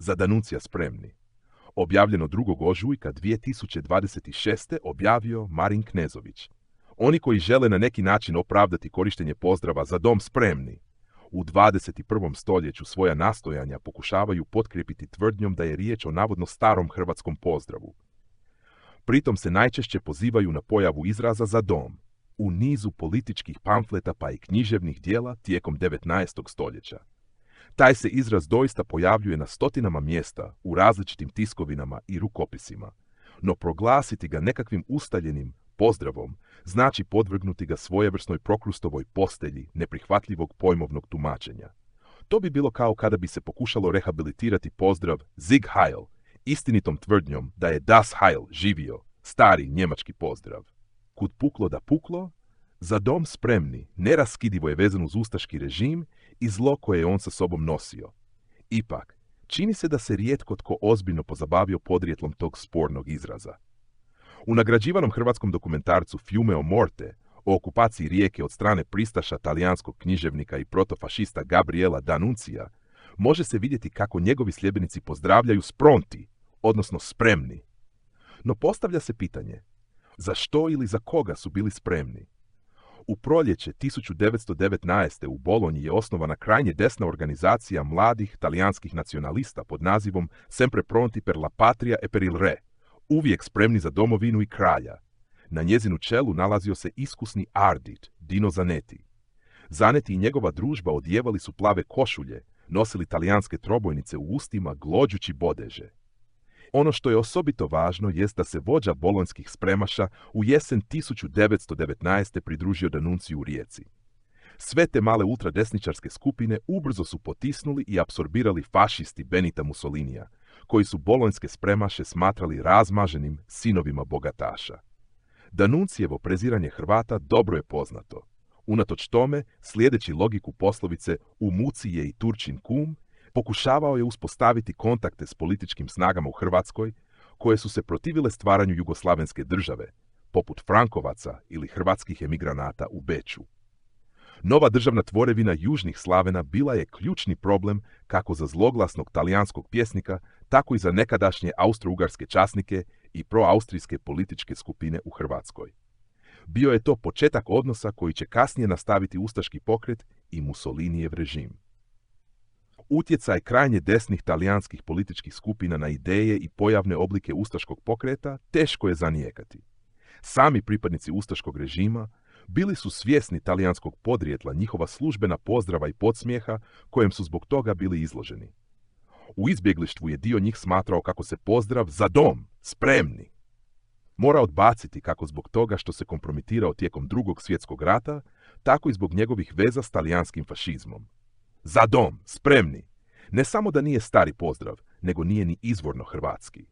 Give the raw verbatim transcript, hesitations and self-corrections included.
za Danuncija spremni. Objavljeno drugog ožujka dvije tisuće dvadeset šeste. objavio Marin Knezović. Oni koji žele na neki način opravdati korištenje pozdrava za dom spremni, u dvadeset prvom stoljeću svoja nastojanja pokušavaju potkrijepiti tvrdnjom da je riječ o navodno starom hrvatskom pozdravu. Pritom se najčešće pozivaju na pojavu izraza za dom u nizu političkih pamfleta pa i književnih dijela tijekom devetnaestog stoljeća. Taj se izraz doista pojavljuje na stotinama mjesta u različitim tiskovinama i rukopisima, no proglasiti ga nekakvim ustaljenim pozdravom znači podvrgnuti ga svojevrsnoj Prokrustovoj postelji neprihvatljivog pojmovnog tumačenja. To bi bilo kao kada bi se pokušalo rehabilitirati pozdrav Sieg Heil istinitom tvrdnjom da je Das Heil živio, stari njemački pozdrav. Kud puklo da puklo, za dom spremni neraskidivo je vezan uz ustaški režim i zlo koje je on sa sobom nosio. Ipak, čini se da se rijetko tko ozbiljno pozabavio podrijetlom tog spornog izraza. U nagrađivanom hrvatskom dokumentarcu Fiume o Morte o okupaciji Rijeke od strane pristaša talijanskog književnika i protofašista Gabriela D'Annunzia može se vidjeti kako njegovi sljedbenici pozdravljaju spronti, odnosno spremni. No postavlja se pitanje, za što ili za koga su bili spremni? U proljeće tisuću devetsto devetnaeste. u Bolonji je osnovana krajnje desna organizacija mladih talijanskih nacionalista pod nazivom Sempre pronti per la patria e per il re, uvijek spremni za domovinu i kralja. Na njezinu čelu nalazio se iskusni Ardit, Dino Zanetti. Zanetti i njegova družba odjevali su plave košulje, nosili talijanske trobojnice u ustima glođući bodeže. Ono što je osobito važno jest da se vođa bolonjskih spremaša u jesen tisuću devetsto devetnaeste. pridružio D'Annunziju u Rijeci. Sve te male ultradesničarske skupine ubrzo su potisnuli i apsorbirali fašisti Benita Mussolinija, koji su bolonjske spremaše smatrali razmaženim sinovima bogataša. D'Annunzijevo preziranje Hrvata dobro je poznato. Unatoč tome, slijedeći logiku poslovice u muci je i Turčin kum, pokušavao je uspostaviti kontakte s političkim snagama u Hrvatskoj, koje su se protivile stvaranju jugoslavenske države, poput Frankovaca ili hrvatskih emigranata u Beču. Nova državna tvorevina južnih Slavena bila je ključni problem kako za zloglasnog talijanskog pjesnika, tako i za nekadašnje austro-ugarske časnike i proaustrijske političke skupine u Hrvatskoj. Bio je to početak odnosa koji će kasnije nastaviti ustaški pokret i Mussolinijev režim. Utjecaj krajnje desnih talijanskih političkih skupina na ideje i pojavne oblike ustaškog pokreta teško je zanijekati. Sami pripadnici ustaškog režima bili su svjesni talijanskog podrijetla njihova službena pozdrava i podsmijeha kojem su zbog toga bili izloženi. U izbjeglištvu je dio njih smatrao kako se pozdrav za dom, spremni, mora odbaciti kako zbog toga što se kompromitirao tijekom drugog svjetskog rata, tako i zbog njegovih veza s talijanskim fašizmom. Za dom, spremni, ne samo da nije stari pozdrav, nego nije ni izvorno hrvatski.